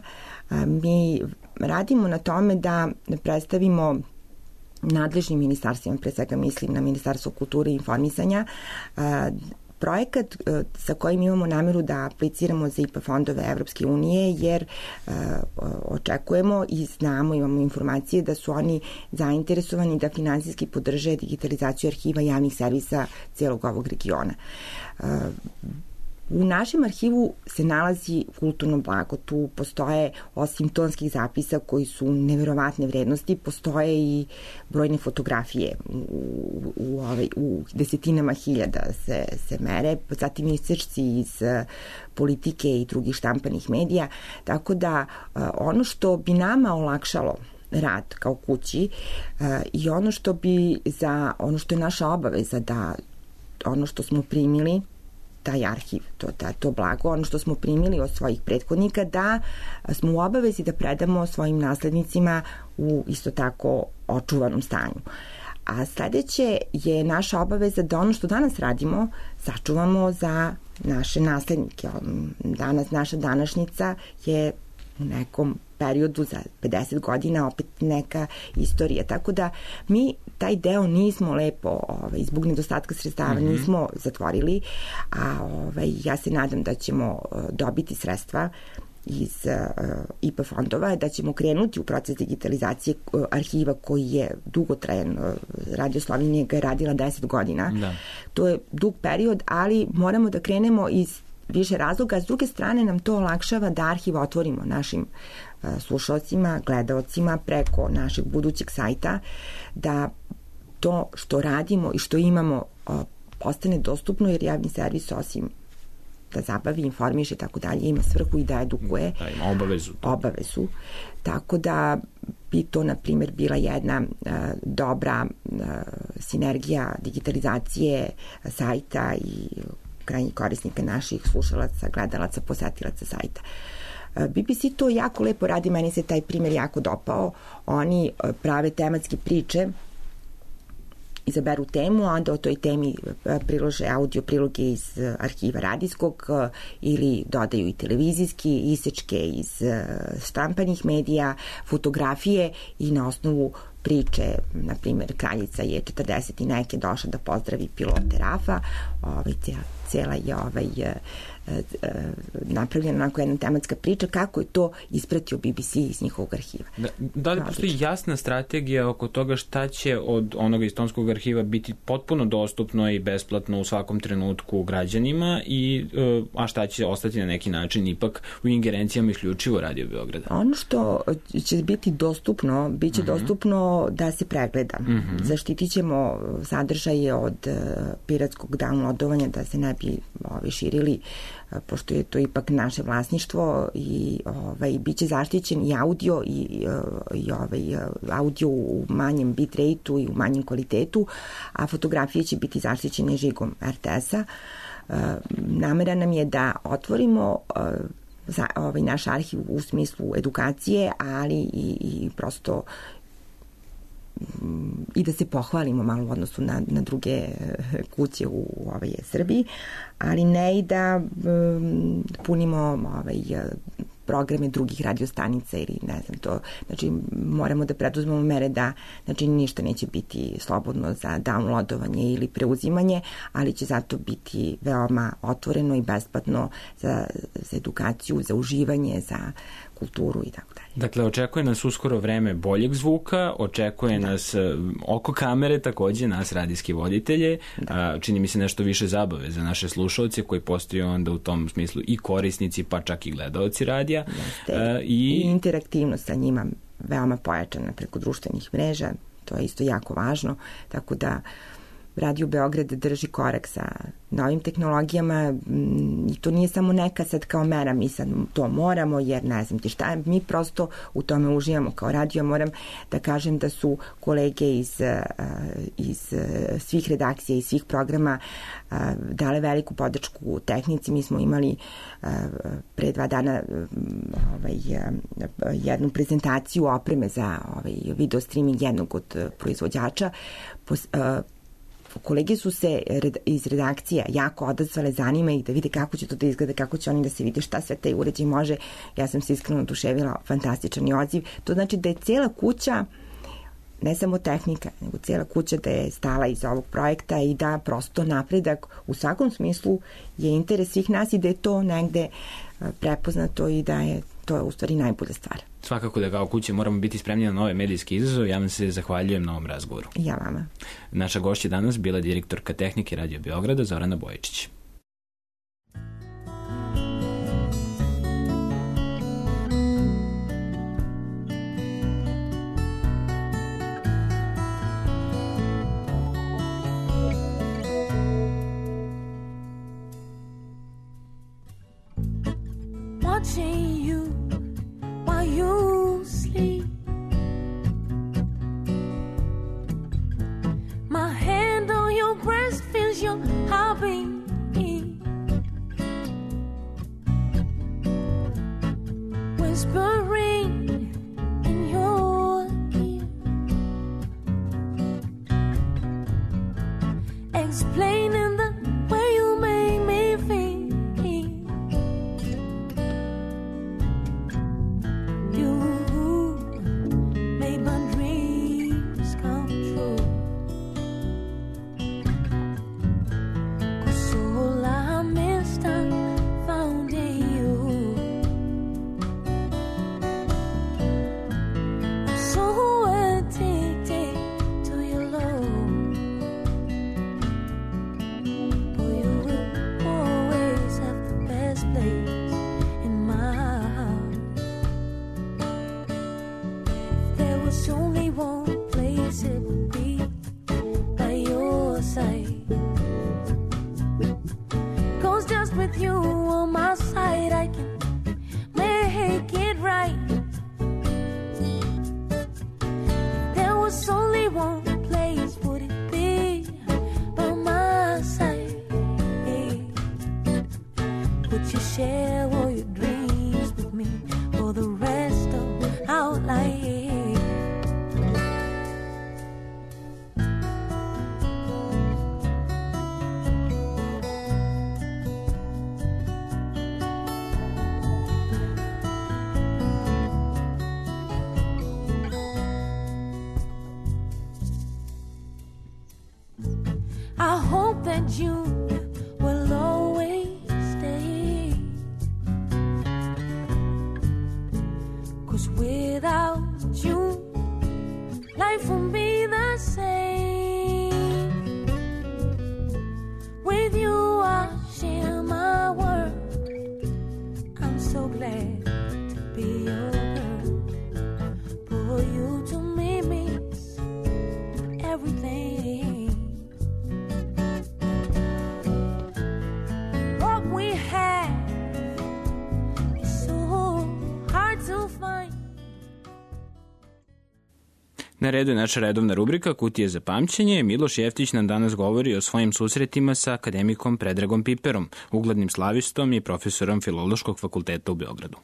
Mi radimo na tome da predstavimo nadležnim ministarstvima, pre svega mislim na Ministarstvo kulture i informisanja, projekat sa kojim imamo nameru da apliciramo za IPA fondove Evropske unije, jer očekujemo i znamo, imamo informacije da su oni zainteresovani da finansijski podrže digitalizaciju arhiva javnih servisa celog ovog regiona. U našem arhivu se nalazi kulturno blago. Tu postoje, osim tonskih zapisa koji su neverovatne vrednosti, postoje i brojne fotografije u desetinama hiljada se mere, zatim isečci iz politike i drugih štampanih medija, tako da ono što bi nama olakšalo rad kao kući i ono što je naša obaveza da ono što smo primili, taj arhiv, to blago, ono što smo primili od svojih prethodnika, da smo u obavezi da predamo svojim naslednicima u isto tako očuvanom stanju. A sledeće je naša obaveza da ono što danas radimo sačuvamo za naše naslednike. Naša današnjica je u nekom periodu za 50 godina opet neka istorija. Tako da mi taj deo nismo lepo zbog nedostatka sredstava nismo zatvorili, a ja se nadam da ćemo dobiti sredstva iz IPA fondova, da ćemo krenuti u proces digitalizacije arhiva koji je dugotrajan. Radio Slovenija ga je radila 10 godina. Da. To je dug period, ali moramo da krenemo iz više razloga. S druge strane nam to olakšava da arhiv otvorimo našim slušalcima, gledaocima preko našeg budućeg sajta, da to što radimo i što imamo postane dostupno, jer javni servis osim da zabavi, informiše i tako dalje, ima svrhu i da edukuje. Da, ima obavezu. Tako da bi to, na primjer, bila jedna dobra sinergija digitalizacije sajta i krajnjih korisnika, naših slušalaca, gledalaca, posetilaca sajta. BBC to jako lepo radi, meni se taj primjer jako dopao. Oni prave tematske priče, izaberu temu, a onda o toj temi prilože audio priloge iz arhiva radijskog ili dodaju i televizijski, isečke iz štampanih medija, fotografije i na osnovu priče, na primjer, kraljica je 40 i neke došla da pozdravi pilote RAF-a, cela je napravljena onako jedna tematska priča kako je to ispratio BBC iz njihovog arhiva. Da li postoji jasna strategija oko toga šta će od onoga iz tonskog arhiva biti potpuno dostupno i besplatno u svakom trenutku građanima, a šta će ostati na neki način ipak u ingerencijama isključivo Radio Beograda? Ono što će biti dostupno, bit će dostupno da se pregleda. Zaštitit ćemo sadržaje od piratskog downloadovanja, da se ne bi širili, pošto je to ipak naše vlasništvo, i bit će zaštićen i audio i audio u manjem bitrate-u i u manjem kvalitetu, a fotografije će biti zaštićene žigom RTS-a. Namera nam je da otvorimo naš arhiv u smislu edukacije, ali i prosto i da se pohvalimo malo u odnosu na druge kuće u Srbiji, ali ne i da punimo programe drugih radiostanica ili ne znam to. Znači, moramo da preduzmemo mere da ništa neće biti slobodno za downloadovanje ili preuzimanje, ali će zato biti veoma otvoreno i besplatno za edukaciju, za uživanje, za kulturu i tako dalje. Dakle, očekuje nas uskoro vreme boljeg zvuka, očekuje nas oko kamere, takođe nas radijski voditelje, čini mi se nešto više zabave za naše slušalce koji postaju onda u tom smislu i korisnici, pa čak i gledaoci radija. I interaktivnost sa njima veoma pojačana preko društvenih mreža, to je isto jako važno, tako da Radio Beograd drži korak sa novim tehnologijama i to nije samo neka sad kao mera, mi sad to moramo jer ne znam ti šta, mi prosto u tome uživamo kao radio. Moram da kažem da su kolege iz svih redakcija i svih programa dale veliku podršku tehnici. Mi smo imali pre 2 dana jednu prezentaciju opreme za video streaming jednog od proizvođača. Kolege su se iz redakcija jako odazvale, zanima ih da vide kako će to da izgleda, kako će oni da se vide šta sve taj uređaj može. Ja sam se iskreno oduševila, fantastičan je odziv. To znači da je cijela kuća, ne samo tehnika, nego cijela kuća da je stala iz ovog projekta i da prosto napredak u svakom smislu je interes svih nas i da je to negde prepoznato i da je to u stvari najbolja stvar. Svakako da kao kuće moramo biti spremni na nove medijske izazove. Ja vam se zahvaljujem na ovom razgovoru. Ja vama. Naša gošća danas bila direktorka tehnike Radio Beograda Zorana Bojičić. Watching you while you sleep, my hand on your breast feels your heartbeat, whispering in your ear, explaining the way you make me feel. I hope that you will always stay, 'cause without you life won't be the same. With you I share my world, I'm so glad to be your girl. For you to me means everything. Na redu je naša redovna rubrika Kutije za pamćenje. Miloš Jeftić nam danas govori o svojim susretima sa akademikom Predragom Piperom, uglednim slavistom i profesorom Filološkog fakulteta u Beogradu.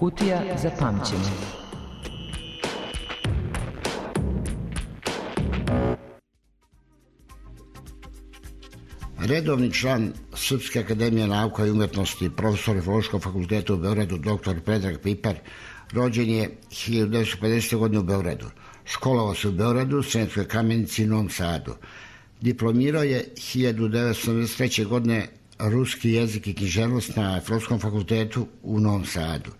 Kutija za pamćenje. Redovni član Srpske akademije nauka i umetnosti, profesor Filološkog fakulteta u Beogradu, dr. Predrag Piper, rođen je 1950. godine u Beogradu. Školovao se u Beogradu, Sremskoj Kamenici i Novom Sadu. Diplomirao je 1973. godine ruski jezik i književnost na Filološkom fakultetu u Novom Sadu.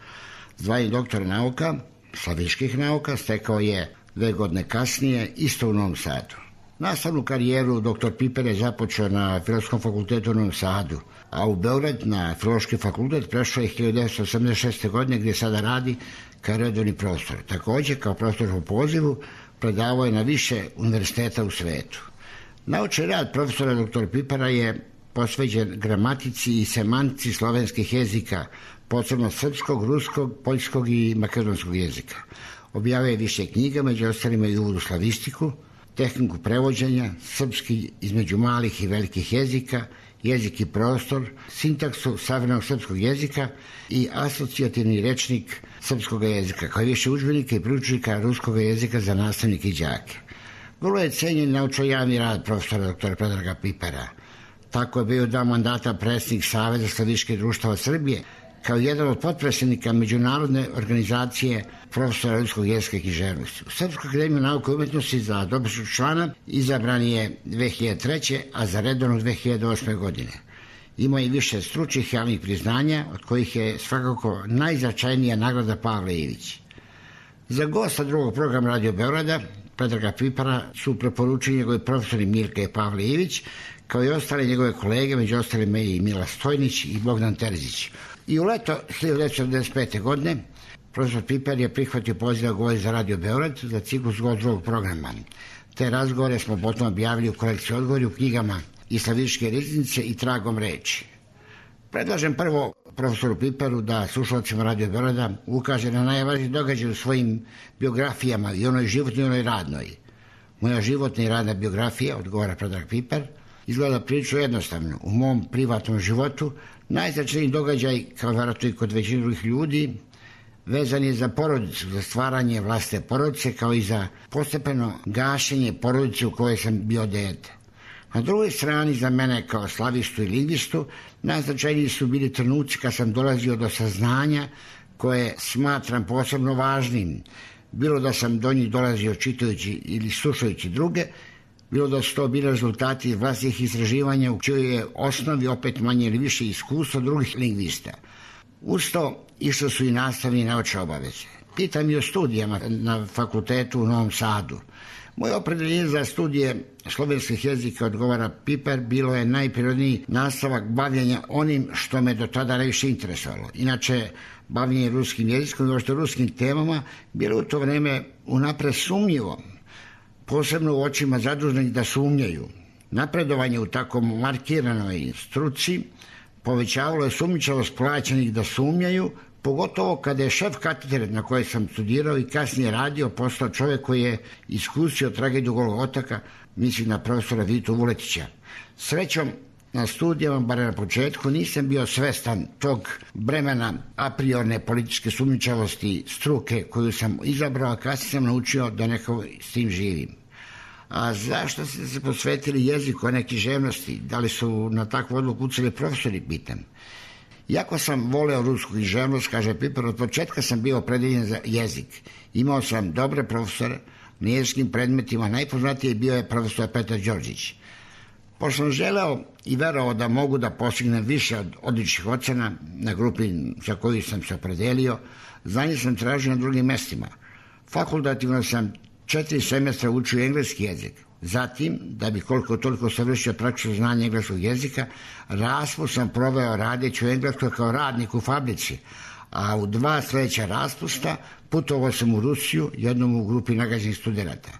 Zvanje doktora nauka, slaviških nauka, stekao je 2 godine kasnije, isto u Novom Sadu. Nastavnu karijeru dr. Piper je započeo na Filološkom fakultetu u Novom Sadu, a u Beograd na Filološki fakultet prešao je 1986. godine gdje sada radi kao redovni profesor. Također, kao profesor po pozivu, predavao je na više univerziteta u svetu. Naučni rad profesora dr. Pipera je posvećen gramatici i semantici slovenskih jezika, posebno srpskog, ruskog, poljskog i makedonskog jezika. Objavio je više knjiga, među ostalima i uvod u slavistiku, tehniku prevođenja, srpski između malih i velikih jezika, jezik i prostor, sintaksu savremenog srpskog jezika i asocijativni rečnik srpskog jezika, kao i više udžbenika i priručnika ruskog jezika za nastavnike i đake. Vrlo je cenjen naučno-javni rad profesora dr. Predraga Pipera. Tako je bio 2 mandata predsjednik Saveza slaviških društava Srbije, kao jedan od potpredsjednika Međunarodne organizacije profesora ruskog jezika i književnosti. U Srpsku akademiju nauke i umetnosti za dopisnog člana izabran je 2003. a za redovnog 2008. godine. Ima i više stručnih javnih priznanja, od kojih je svakako najznačajnija nagrada Pavle Ivić. Za gosta drugog programa Radio Beograda, Predraga Pipera, su preporučili njegovi profesori Mirka i Pavle Ivić, kao i ostale njegove kolege, među ostalima i Mila Stojnić i Bogdan Terzić. I u leto 1995. godine profesor Piper je prihvatio poziv da govori za Radio Beograd za ciklus drugog programa. Te razgovore smo potom objavili u kolekciji odgovori u knjigama i slaviške riznice i tragom reči. Predlažem prvo profesoru Piperu da slušalcima Radio Beograda ukaže na najvažniji događaj u svojim biografijama, i onoj životnoj i onoj radnoj. Moja životna i radna biografija, odgovara Predrag Piper, izgleda prilično jednostavno. U mom privatnom životu najznačajniji događaj, kao vjerojatno i kod većine drugih ljudi, vezan je za porodicu, za stvaranje vlastne porodice, kao i za postepeno gašenje porodice u kojoj sam bio dete. Na drugoj strani, za mene kao slavistu i lingvistu, najznačajniji su bili trenuci kad sam dolazio do saznanja koje smatram posebno važnim. Bilo da sam do njih dolazio čitajući ili slušajući druge, bilo da su to bili rezultati vlastnih istraživanja u čijoj je osnovi opet manje ili više iskustva drugih lingvista. Uz to išle su i nastavne i naučne obaveze. Pitam i o studijama na fakultetu u Novom Sadu. Moje opredeljenje za studije slovenskih jezika, odgovara Piper, bilo je najprirodniji nastavak bavljenja onim što me do tada najviše interesovalo. Inače, bavljenje ruskim jezikom i uopšte ruskim temama bilo u to vreme unapred sumnjivo, posebno u očima zaduženih da sumnjaju. Napredovanje u tako markiranoj struci povećavalo je sumnjičavost plaćenih da sumnjaju, pogotovo kada je šef katedre na kojoj sam studirao i kasnije radio postao čovjek koji je iskusio tragediju Golog otoka, mislim na profesora Vitu Vuletića. Srećom, na studijama, bar na početku, nisam bio svestan tog bremena a priorne političke sumnjičavosti struke koju sam izabrao, a kasnije sam naučio da nekako s tim živim. A zašto ste se posvetili jeziku, a ne književnosti? Da li su na takvu odluku uceli profesori, pitam. Iako sam voleo rusku književnost, kaže Piper, od početka sam bio opredeljen za jezik. Imao sam dobre profesore na jezičkim predmetima, najpoznatiji bio je profesor Petar Đorđić. Pošto sam želeo i verovao da mogu da postignem više od odličnih ocena na grupi za koju sam se opredelio, znanje sam tražio na drugim mestima. Fakultativno sam 4 semestra učio engleski jezik. Zatim, da bi koliko toliko savršio praktično znanje engleskog jezika, raspust sam proveo radeći u Engleskoj kao radnik u fabrici, a u 2 sljedeća raspusta putovao sam u Rusiju, jednom u grupi nagrađenih studenata.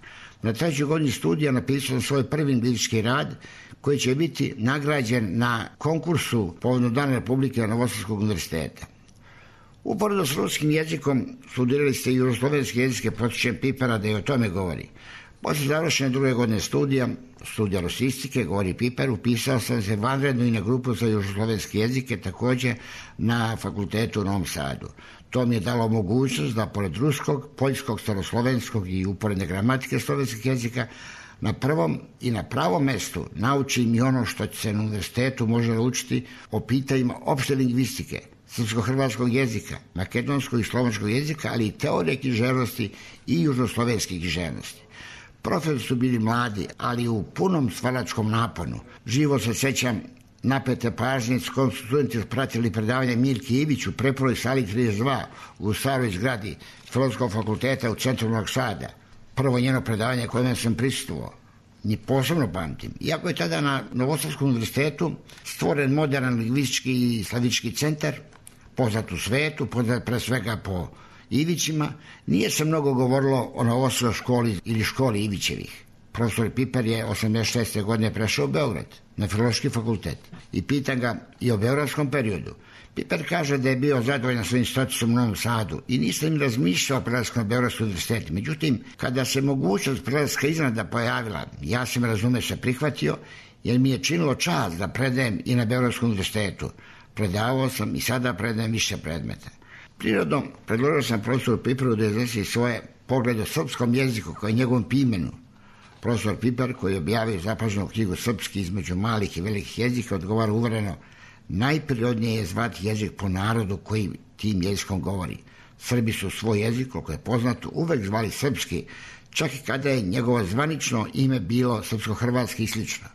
Na 3. godini studija napisao sam svoj prvi anglički rad, koji će biti nagrađen na konkursu povodom Dana Republike Novosadskog univerziteta. Uporedo s ruskim jezikom studirali ste i jugoslovenske jezike, potičem Pipera da i o tome govori. Posle završene druge godine studija rusistike, govori Piper, upisao sam se vanredno i na grupu za južoslovenski jezike, takođe na fakultetu u Novom Sadu. To mi je dalo mogućnost da pored ruskog, poljskog, staroslovenskog i uporedne gramatike slovenskih jezika na prvom i na pravom mestu naučim i ono što se na univerzitetu može naučiti o pitanjima opšte lingvistike, srpsko-hrvatskog jezika, makedonskog i slovenskog jezika, ali i teorije književnosti i južnoslovenskih književnosti. Profesori su bili mladi, ali u punom stvaračkom naponu. Živo se sećam napete pažnje s kojom su studenti pratili predavanje Milki Ivić u preporoj sali 32 u staroj zgradi Filozofskog fakulteta u centru Novog Sada. Prvo njeno predavanje kojem sam prisustvovao. Ni posebno pamtim. Iako je tada na Novosadskom univerzitetu stvoren modern lingvistički i slavički centar, poznat u svetu, poznat pre svega po Ivićima, nije se mnogo govorilo o Novosadskoj školi ili školi Ivićevih. Profesor Piper je 86. godine prešao u Beograd, na Filološki fakultet, i pitan ga i o beogradskom periodu. Piper kaže da je bio zadovoljan svojim statusom u Novom Sadu i nisam im razmišljao o prelasku na Beogradski univerzitet. Međutim, kada se mogućnost prelaska iznenada pojavila, ja sam razume se prihvatio, jer mi je činilo čast da predajem i na Beogradskom univerzitetu. Predavao sam i sada predajem više predmeta. Prirodno, predložio sam profesoru Piperu da iznesi svoje poglede o srpskom jeziku kao i njegovom imenu. Profesor Piper, koji je objavio zapaženu knjigu Srpski između malih i velikih jezika, odgovara uvereno: najprirodnije je zvati jezik po narodu koji tim jezikom govori. Srbi su svoj jezik, koliko je poznato, uvek zvali srpski, čak i kada je njegovo zvanično ime bilo srpsko-hrvatski i slično.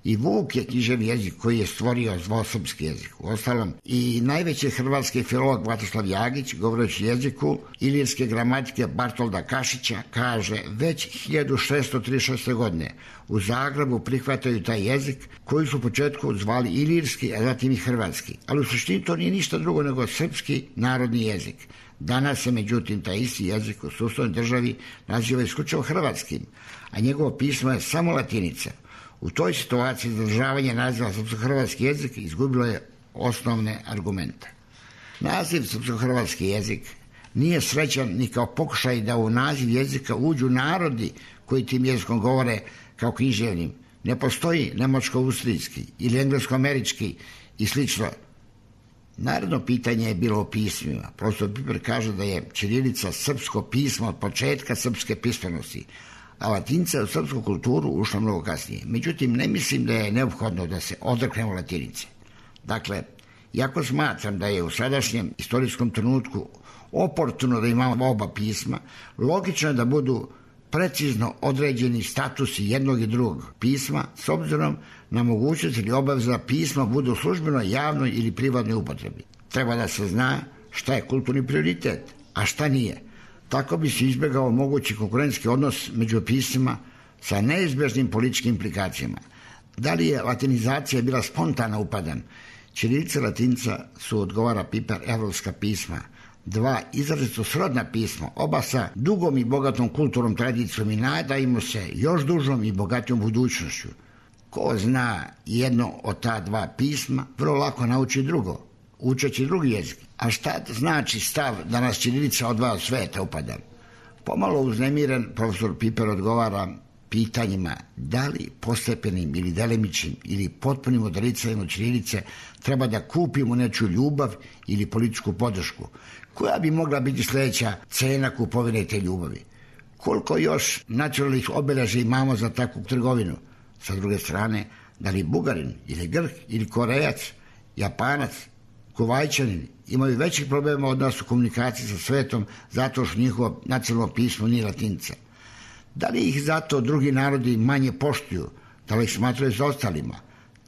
I Vuk je književni jezik koji je stvorio zvao srpski jezik. Uostalom, i najveći hrvatski filolog Vlatislav Jagić, govoreći jeziku ilirske gramatike Bartolda Kašića, kaže: već 1636. godine u Zagrebu prihvataju taj jezik koji su u početku zvali ilirski, a zatim i hrvatski. Ali u suštini to nije ništa drugo nego srpski narodni jezik. Danas se, međutim, taj isti jezik u sustavnoj državi naziva isključivo hrvatskim, a njegovo pismo je samo latinica. U toj situaciji zadržavanje naziva srpsko-hrvatski jezik izgubilo je osnovne argumente. Naziv srpsko-hrvatski jezik nije srećan ni kao pokušaj da u naziv jezika uđu narodi koji tim jezikom govore kao književnim. Ne postoji nemačko-austrijski ili englesko-američki i slično. Naredno pitanje je bilo o pismima. Profesor Piper kaže da je ćirilica srpsko pismo od početka srpske pismenosti, a latinca je u srpsku kulturu ušla mnogo kasnije. Međutim, ne mislim da je neophodno da se odreknemo latinice. Dakle, iako smatram da je u sadašnjem istorijskom trenutku oportuno da imamo oba pisma, logično je da budu precizno određeni statusi jednog i drugog pisma s obzirom na mogućnost ili obavezu da pisma budu u službenoj, javnoj ili privatnoj upotrebi. Treba da se zna šta je kulturni prioritet, a šta nije. Tako bi se izbjegao mogući konkurentski odnos među pismima sa neizbježnim političkim implikacijama. Da li je latinizacija bila spontana upadan? Ćirilica i latinca su, odgovara Piper, evropska pisma. Dva izrazito srodna pisma, oba sa dugom i bogatom kulturnom tradicijom i nadajmo se još dužom i bogatijom budućnošću. Ko zna jedno od ta dva pisma, vrlo lako nauči drugo, učeći drugi jezik. A šta znači stav da nas ćirilica odvaja od sveta upada? Pomalo uznemiren, profesor Piper odgovara pitanjima da li postepenim ili delimičnim ili potpunim odricanjem od ćirilice treba da kupimo nečiju ljubav ili političku podršku. Koja bi mogla biti sljedeća cena kupovine te ljubavi? Koliko još nacionalnih obeležja imamo za takvu trgovinu? Sa druge strane, da li Bugarin ili Grk ili Korejac, Japanac, Kuvajčanin imaju većih problema od nas u komunikaciji sa svetom zato što njihovo nacionalno pismo nije latinca? Da li ih zato drugi narodi manje poštuju, da li ih smatraju za ostalima?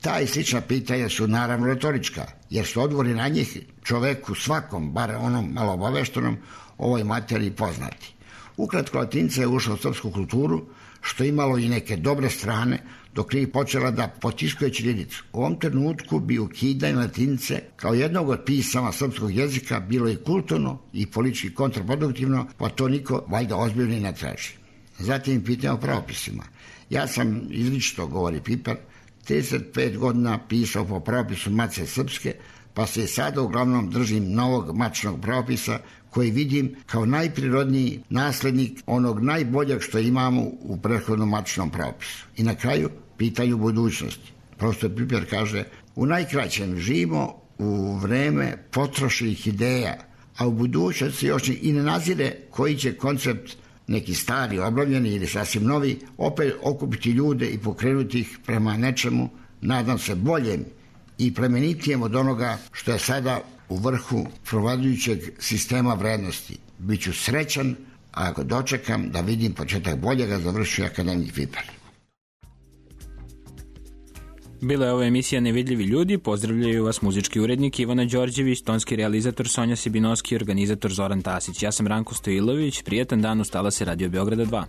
Ta i slična pitanja su naravno retorička, jer su odgovori na njih čoveku svakom, bar onom malo obaveštenom, ovoj materiji poznati. Ukratko, latinca je ušla u srpsku kulturu, što je imalo i neke dobre strane, dok nije počela da potiskuje ćirilicu. U ovom trenutku bi ukidanje latinice kao jednog od pisama srpskog jezika bilo i kulturno i politički kontraproduktivno, pa to niko valjda ozbiljno i ne traži. Zatim pitanje o pravopisima. Ja sam izričito, govori Piper, 35 godina pisao po pravopisu Matice srpske, pa se i sada uglavnom držim novog matičnog pravopisa koji vidim kao najprirodniji naslednik onog najboljeg što imamo u prethodnom matičnom pravopisu. I na kraju, pitaju budućnosti. Profesor Piper kaže, u najkraćem živimo u vreme potrošenih ideja, a u budućnosti još i ne nazire koji će koncept, neki stari, obnovljeni ili sasvim novi, opet okupiti ljude i pokrenuti ih prema nečemu, nadam se, boljem i plemenitijem od onoga što je sada u vrhu provladujućeg sistema vrednosti. Biću srećan ako dočekam da vidim početak boljega, završio akademik Piper. Bila je ovo emisija Nevidljivi ljudi, pozdravljaju vas muzički urednik Ivana Đorđević, tonski realizator Sonja Sibinovski i organizator Zoran Tasić. Ja sam Ranko Stojilović, prijetan dan, ustala se Radio Beograda 2.